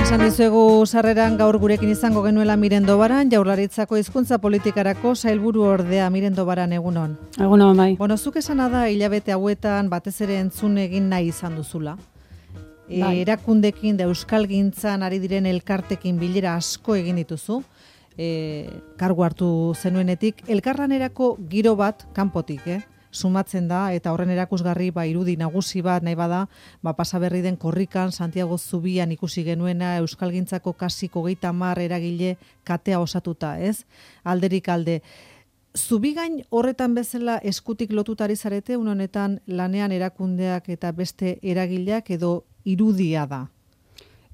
Esan dizuegu sarreran gaur gurekin izango genuela Mirendo Baran, Jaurlaritzako hizkuntza politikarako sailburu ordea. Mirendo Baran, egunon. Egunon, bai. Bueno, zuk esana da hilabete hauetan batez ere entzun egin nahi izan duzula. Bai. Erakundekin da euskalgintzan ari diren elkartekin bilera asko egin dituzu. Kargu hartu zenuenetik, elkarlanerako giro bat kanpotik, sumatzen da, eta horren erakusgarri irudi nagusi bat nahi bada, pasa berri den korrikan, Santiago Zubian ikusi genuena, euskalgintzako kasi 30 eragile katea osatuta, ez? Alderik alde. Zubigain horretan bezala eskutik lotutari zarete, honetan lanean erakundeak eta beste eragileak edo irudia da?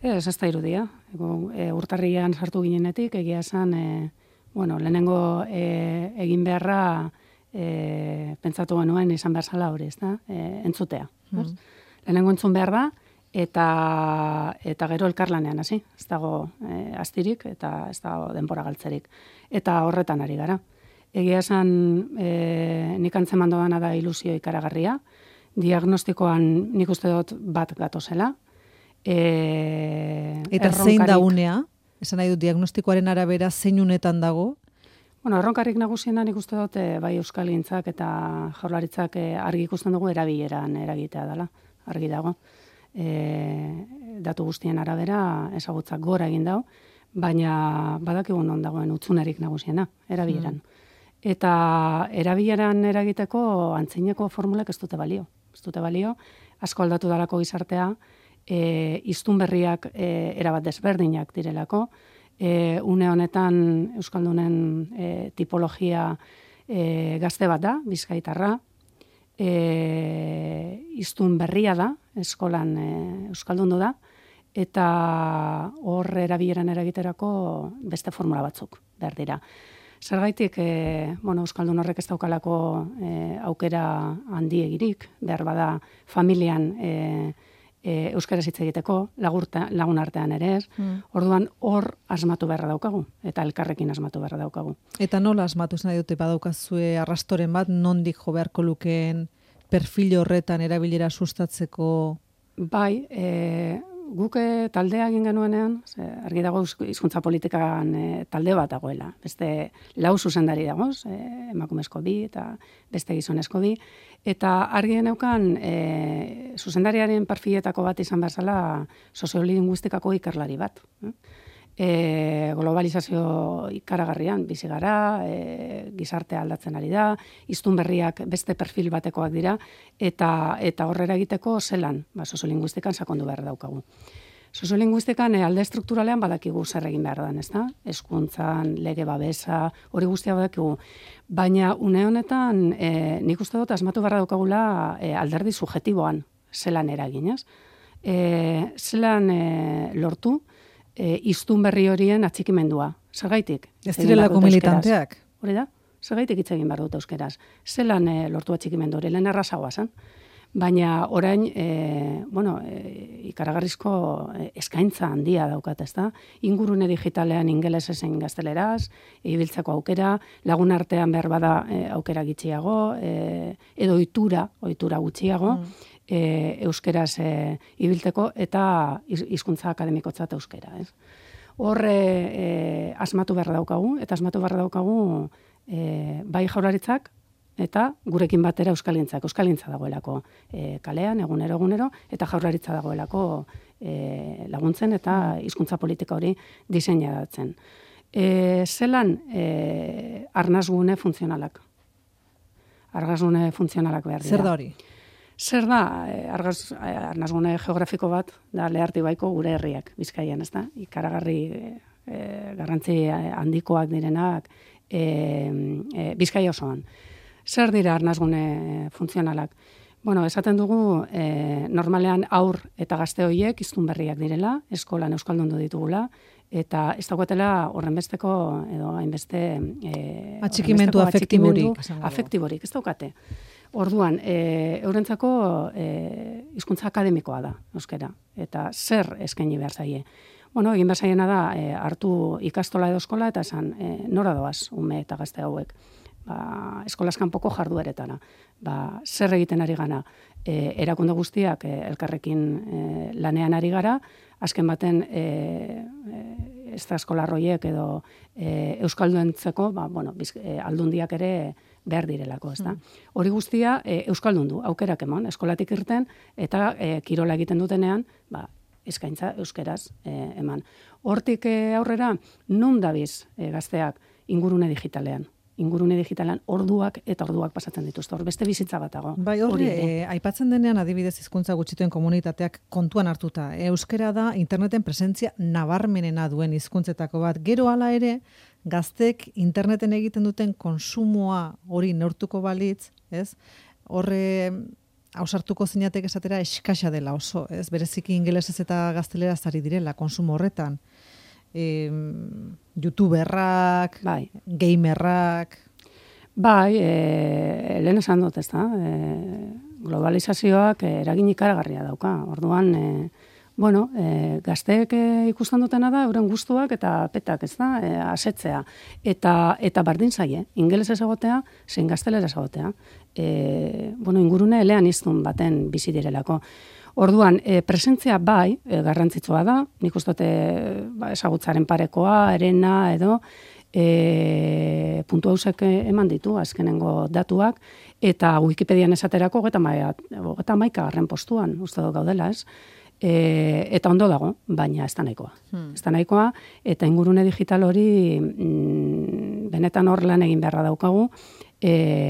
Ez da irudia. Urtarrian sartu ginenetik, egia esan, lehenengo egin beharra pentsatu genuen izan behar zala hori, entzutea. Lehenengo entzun behar da, eta gero elkarlanean, hasi. Ez dago astirik eta ez dago denbora galtzerik. Eta horretan ari gara. Egia esan, nik antzeman doana da ilusio ikaragarria. Diagnostikoan nik uste dut bat gatozela. Eta zein da unea? Esan nahi dut, diagnostikoaren arabera zein unetan dago? Erronkarrik nagusiena nik uste dut bai euskalgintzak eta jaurlaritzak argi ikusten dugu erabileran eragitea dela, argi dago. Datu guztien arabera ezagutzak gora egin dago, baina badakigun non dagoen utzunerik nagusiena, erabileran. Eta erabileran eragiteko antzineko formulak ez dute balio. Ez dute balio, asko aldatu dalako gizartea, hiztun berriak erabat desberdinak direlako, une honetan euskaldunen tipologia gazte bat da, bizkaitarra, hiztun berria da, eskolan euskaldundu da, eta hor erabileran eragiterako beste formula batzuk behar dira. Zergaitik, euskaldun horrek ez daukalako aukera handiegirik, behar bada familian euskaraz hitz egiteko, lagun artean ere ez. Orduan hor asmatu beharra daukagu, eta elkarrekin asmatu beharra daukagu. Eta nola asmatu nahi dute badaukazue arrastoren bat, nondik jo beharko lukeen perfil horretan erabilera sustatzeko? Bai, guk taldea egin genuenean, argi dago hizkuntza politikan talde bat dagoela. Beste 4 zuzendari dagoz, emakumezko 2 eta beste gizonezko 2. Eta argi geneukan zuzendariaren perfiletako bat izan behar soziolinguistikako ikerlari bat. Globalizazio ikaragarrian bizi gara, gizartea aldatzen ari da, hiztun berriak beste perfil batekoak dira, eta horrera egiteko zelan, soziolinguistikan sakondu behar daukagu. Soziolinguistikan alde strukturalean badakigu zer egin behar den, ezta? Hezkuntzan, lege babesa, hori guztia badakigu. Baina une honetan nik uste dut asmatu behar daukagula alderdi subjektiboan zelan eragin, ez? Zelan lortu hiztun berri horien atxikimendua. Zergaitik? Ez direlako militanteak. Hori da? Zergaitik hitz egin behar dut euskeraz. Zelan lortu atxikimendu hori, lehen errazagoa zen. Baina orain, ikaragarrizko eskaintza handia daukat, ezta? Ingurune digitalean ingelesez zein gazteleraz, ibiltzeko aukera, lagun artean behar bada aukera gitxiago, edo ohitura gutxiago, euskeraz ibiltzeko eta hizkuntza akademikotzat euskera, ez? Horre asmatu behar daukagu, eta asmatu behar daukagu bai jaurlaritzak, eta gurekin batera euskalgintzak. Euskalgintza dagoelako kalean, egunero, eta jaurlaritza dagoelako laguntzen eta hizkuntza politika hori diseinatzen. Zelan arnasgune funtzionalak? Arnasgune funtzionalak behar dira. Zer da hori? Zer da, arnasgune geografiko bat, da Lehartibaiko gure herriak, Bizkaian, ez da? Ikaragarri garrantzi handikoak direnak Bizkaia osoan. Zer dira arnasgune funtzionalak? Esaten dugu, normalean aur eta gazte horiek hiztun berriak direla, eskolan euskaldundu ditugula, eta ez dagoetela horrenbesteko edo hainbeste atxikimendu afektiborik, ez daukate. Orduan, eurentzako hizkuntza akademikoa da, euskera, eta zer eskaini behar zaie. Egin behar zaiena da, hartu ikastola edo eskola, eta esan, nora doaz, ume eta gazte hauek. Eskolaz kanpoko jardueretara. Zer egiten ari gana? erakunde guztiak elkarrekin lanean ari gara, azken baten estraskolarroiek edo euskalduentzako, aldundiak ere behar direlako, ezta. Hori guztia euskaldundu, aukerak eman, eskolatik irten, eta kirola egiten dutenean, eskaintza euskeraz eman. Hortik aurrera, non dabiz gazteak ingurune digitalean? Ingurune digitalan orduak eta orduak pasatzen dituzte. Hor beste bizitza bat dago. Bai, hori, aipatzen denean adibidez hizkuntza gutxituen komunitateak kontuan hartuta. Euskera da interneten presentzia nabarmenena duen hizkuntzetako bat. Gero hala ere, gaztek interneten egiten duten konsumoa hori neurtuko balitz, ez? Horre ausartuko zinatek esatera eskasa dela oso, ez? Bereziki ingelesez eta gazteleraz ari direla konsumo horretan. YouTuberrak, gamerrak. Bai, lehen esan dut, ezta? Globalizazioak eragin ikaragarria dauka. Orduan, gazteek ikusten dutena da, euren gustuak eta petak, ezta? Asetzea. Eta bardin zaie, ingelesez egotea, zein gazteleraz egotea. Ingurune elean iztun baten bizi direlako. Orduan, presentzia bai, garrantzitsua da, nik uste ezagutzaren parekoa, erena edo, puntu hausek eman ditu, azkenengo datuak, eta Wikipedian esaterako 31. postuan, uste dut gaudela, ez? Eta ondo dago, baina ez da nahikoa. Ez da nahikoa, eta ingurune digital hori benetan hor lan egin beharra daukagu,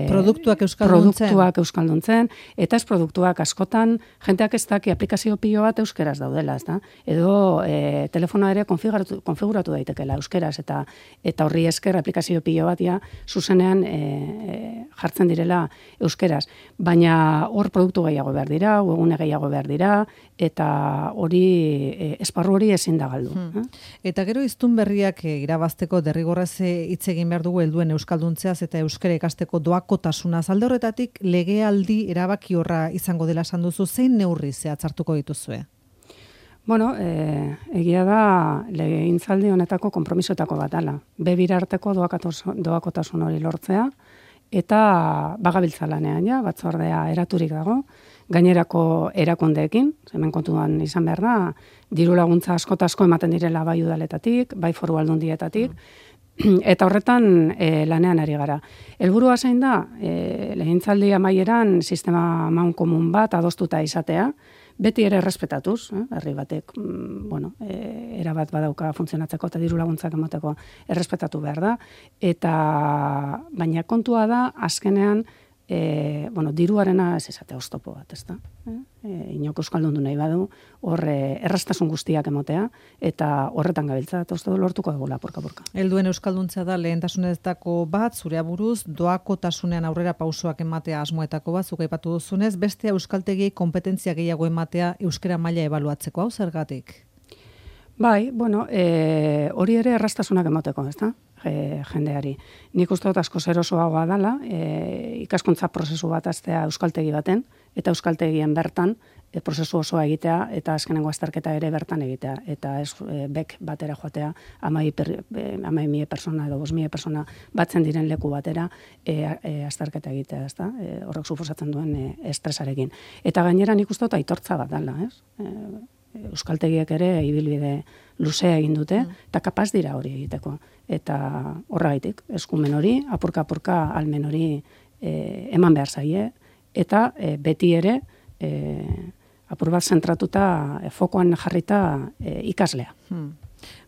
produktuak euskalduntzen, eta ez produktuak askotan, jenteak ez daki aplikazio pilo bat euskeraz daudela, ez da? Edo telefonoa ere konfiguratu daitekela euskeraz, eta horri esker aplikazio pilo bat zuzenean jartzen direla euskeraz. Baina hor produktu gehiago behar dira, webgune gehiago behar dira, eta hori, esparru hori ezin da galdu. Eta gero hiztun berriak irabazteko derrigorrez hitz egin behar dugu helduen euskalduntzeaz eta euskara ikasteko doakotasunaz. Alde horretatik legealdi erabaki horra izango dela esan duzu, zein neurri zehatz hartuko dituzue? Egia da legegintzaldi honetako konpromisoetako bat dela. Bebira arteko doakotasun hori lortzea, eta bagabiltza lanean, batzordea eraturik dago, gainerako erakundeekin, hemen kontuan izan behar da, diru laguntza asko ematen direla bai udaletatik, bai foru aldundietatik, eta horretan lanean ari gara. Helburua zein da, legegintzaldi amaieran sistema amankomun bat adostuta izatea, beti ere errespetatuz, herri batek, erabat badauka funtzionatzeko eta diru laguntzak emateko errespetatu behar da, baina kontua da, azkenean, diruarena ez esatea oztopo bat, ez da? Inok euskaldundu nahi badu, hor erraztasun guztiak emotea, eta horretan gabiltza, eta uste du lortuko dugula, porka-porka. Helduen euskalduntza da lehentasunetako bat, zure buruz, doakotasunean aurrera pausoak ematea asmoetako bat, zuk aipatu duzunez, beste euskaltegiei kompetentzia gehiago ematea euskara maila ebaluatzeko, hau zergatik? Bai, hori ere erraztasunak emoteko, ez da? Jendeari. Nik uste dut asko zerosoagoa dela, ikaskuntza prozesu bat aztea euskaltegi baten, eta euskaltegien bertan prozesu osoa egitea, eta azkenengo azterketa ere bertan egitea, eta ez bek batera joatea 10.000 persona edo 5.000 persona batzen diren leku batera azterketa egitea, ez da? Horrek suposatzen duen estresarekin. Eta gainera nik uste dut aitortza bat dela, ez? Euskaltegiek ere ibilbide luzea egin dute, eta kapaz dira hori egiteko. Eta horregaitik, eskumen hori, apurka almen hori eman behar zaie, eta beti ere apur bat zentratuta, fokoan jarrita ikaslea.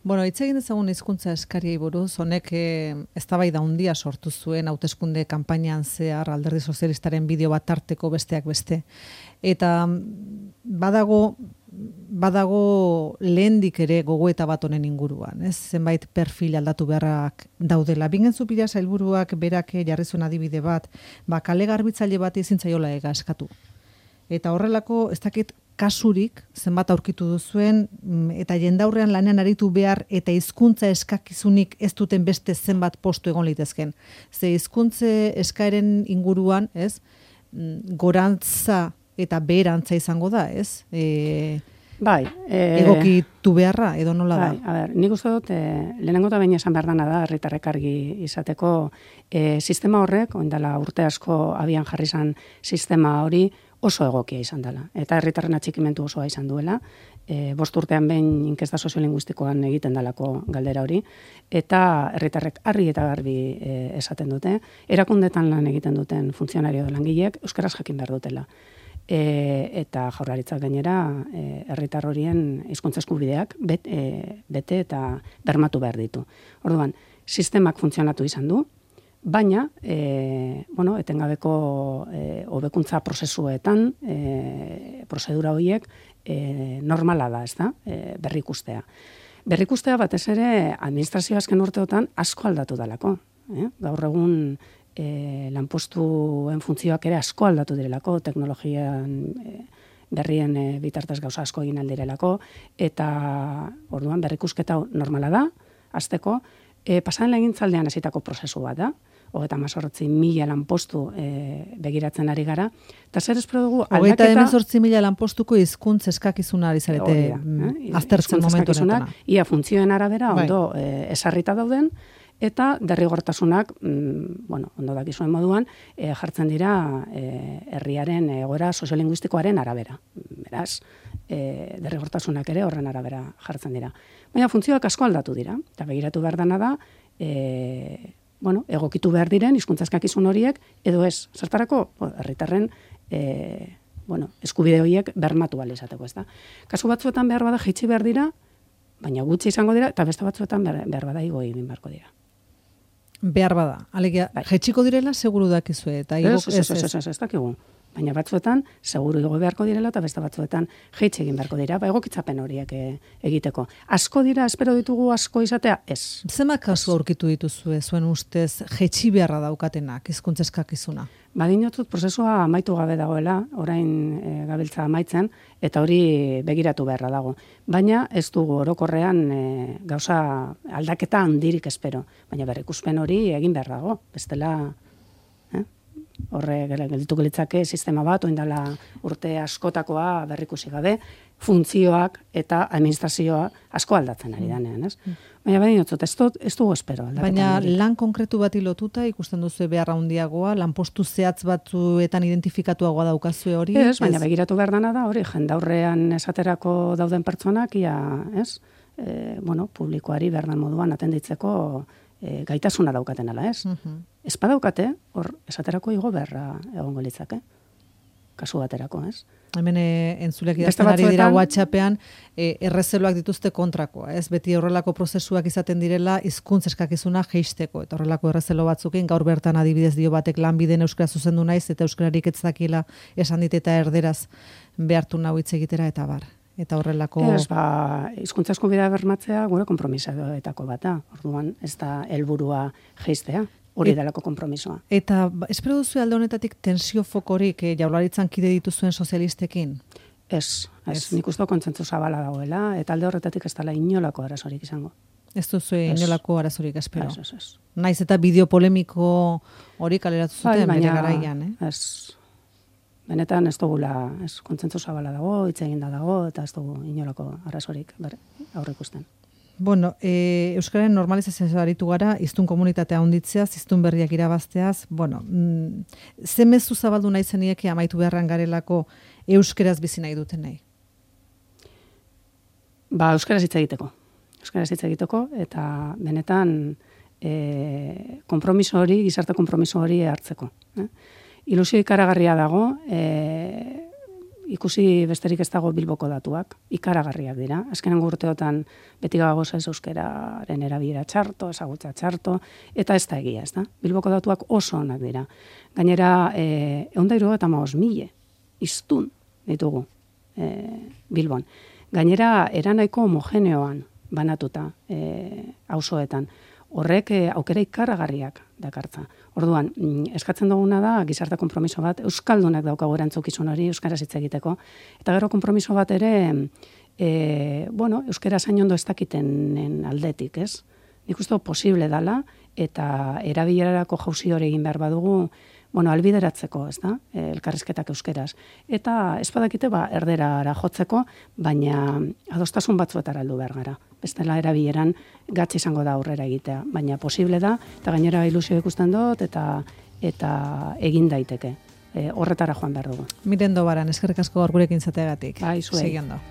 Hitz egin dezagun hizkuntza eskariei buruz, honek eztabaida handia sortu zuen hauteskunde kanpainan zehar Alderdi Sozialistaren bideo bat tarteko besteak beste. Eta badago lehendik ere gogoeta bat honen inguruan, ez? Zenbait perfil aldatu beharrak daudela. Bingentzu Pila sailburuak berak jarri zuen adibide bat, kale garbitzaile bat ezin zaiola eskatu. Eta horrelako, ez dakit kasurik, zenbat aurkitu duzuen, eta jendaurrean lanean aritu behar, eta hizkuntza eskakizunik ez duten beste zenbat postu egon litezken. Ze hizkuntze eskaeren inguruan, ez? Gorantza eta beherantza izango da, ez? Bai. Egokitu beharra, edo nola da? Bai, nik uste dut, lehenengo eta baina esan behar dana da, herritarrek argi izateko, sistema horrek, oindala urte asko abian jarri zan sistema hori, oso egokia izan dela. Eta herritarren atxikimentu osoa izan duela, 5 urtean behin inkesta soziolinguistikoan egiten dalako galdera hori, eta herritarrek argi eta garbi esaten dute, erakundetan lan egiten duten funtzionario langileek euskaraz jakin behar dutela. Eta Jaurlaritzak gainera herritar horien hizkuntza eskubideak bete eta bermatu behar ditu. Orduan, sistemak funtzionatu izan du, baina, etengabeko hobekuntza prozesuetan, prozedura horiek normala da, ez da, berrikustea. Berrikustea batez ere administrazio azken urteotan asko aldatu dalako. Gaur egun lanpostuen funtzioak ere asko aldatu direlako, teknologian berrien bitartez gauza asko egin aldirelako, eta orduan berrikusketa normala da, hasteko, pasan legintzaldean hasitako prozesu bat da, 38.000 lanpostu begiratzen ari gara, eta zer espero dugu aldaketa... 38.000 lanpostuko hizkuntz eskakizuna ari zarete aztertzen momentu honetan. Ia funtzioen arabera ondo esarrita dauden, eta derrigortasunak, ondo dakizuen moduan, jartzen dira herriaren egoera soziolinguistikoaren arabera. Beraz, derrigortasunak ere horren arabera jartzen dira. Baina funtzioak asko aldatu dira, eta begiratu behar dana da, egokitu behar diren hizkuntza eskakizun horiek, edo ez, zertarako, herritarren eskubide horiek bermatu ahal izateko, ez da. Kasu batzuetan behar bada jaitsi behar dira, baina gutxi izango dira, eta beste batzuetan behar bada igo egin beharko dira. Behar bada. Alegia, jaitsiko direla seguru dakizue. Ez dakigu. Baina batzuetan, seguru igo beharko direla, eta beste batzuetan jaitsi egin beharko dira, egokitzapen horiek egiteko. Asko dira, espero ditugu asko izatea? Ez. Zenbat kasu aurkitu dituzue, zuen ustez, jaitsi beharra daukatenak, hizkuntza eskakizuna? Badinotzut prozesua amaitu gabe dagoela, orain gabiltza amaitzen, eta hori begiratu beharra dago. Baina ez dugu orokorrean gauza aldaketa handirik espero. Baina berrikuspen hori egin behar dago. Bestela, horre gelditu gelitzake sistema bat, oindala urte askotakoa berrikusi gabe, funtzioak eta administrazioa asko aldatzen ari danean, ez? Baina badinotzut, ez dugu espero. Baina lan konkretu bati lotuta ikusten duzu beharra handiagoa, lanpostu zehatz batzuetan identifikatuagoa daukazue hori? Ez, baina begiratu behar dana da hori, jendaurrean esaterako dauden pertsonak, ez? Publikoari behar den moduan atenditzeko gaitasuna daukaten ala, ez? Ez badaukate, hor esaterako igo beharra egongo litzake. Kasu baterako, ez? Hemen entzuleak idazten ari dira WhatsAppean errezeloak dituzte kontrakoa, ez? Beti horrelako prozesuak izaten direla hizkuntza eskakizuna jeisteko, eta horrelako errezelo batzukin gaur bertan adibidez dio batek lanbiden euskara zuzendu naiz eta euskararik ez dakila esan dit eta erderaz behartu nau hitz egitera eta bar. Eta horrelako... Ez, hizkuntza eskubidea bermatzea gure konpromisoetako bat da. Orduan, ez da helburua jeistea. Hori delako konpromisoa. Eta espero duzu alde honetatik tensio fokorik Jaurlaritzan kide dituzuen sozialistekin? Ez. Nik uste kontzentzu zabala dagoela, eta alde horretatik ez dela inolako arazorik izango. Ez duzu inolako arazorik espero? Ez. Naiz eta bideo polemiko hori kaleratu zuten bere garaian, Ez. Benetan ez dugula, kontzentzu zabala dago, hitz eginda dago, eta ez dugu inolako arazorik aurrikusten. Bueno, Euskararen normalizazioa aritu gara, hiztun komunitatea handitzeaz, hiztun berriak irabazteaz, ze mezu zabaldu nahi zenieke amaitu beharran garelako euskaraz bizi nahi duten nahi? Euskaraz hitz egiteko. Euskaraz hitz egiteko, eta benetan konpromiso hori, gizarte konpromiso hori hartzeko. Ilusio ikaragarria dago, ikusi besterik ez dago Bilboko datuak, ikaragarriak dira. Azkenengo urteotan beti gagoz ez euskararen erabilera txarto, ezagutza txarto, eta ez da egia, ez da? Bilboko datuak oso onak dira. Gainera, 175.000 hiztun ditugu Bilbon. Gainera, eranaiko homogeneoan banatuta auzoetan. Horrek aukera ikaragarriak dakartza. Orduan, eskatzen duguna da gizarte konpromiso bat, euskaldunak daukagu erantzukizun hori euskaraz hitz egiteko. Eta gero konpromiso bat ere, euskara zain ondo ez dakitenen aldetik, ez? Nik uste posible dala, eta erabilerarako jauzi hori egin behar badugu, albideratzeko, ez da? Elkarrizketak euskeraz. Eta ez badakite, erderara jotzeko, baina adostasun batzuetara heldu behar gara. Bestela erabileran gatz izango da aurrera egitea, baina posible da, eta gainera ilusio ikusten dut, eta egin daiteke. horretara joan behar dugu. Miren Dobaran, eskerrik asko gaur gurekin izateagatik. Bai, zuei. Segi ondo.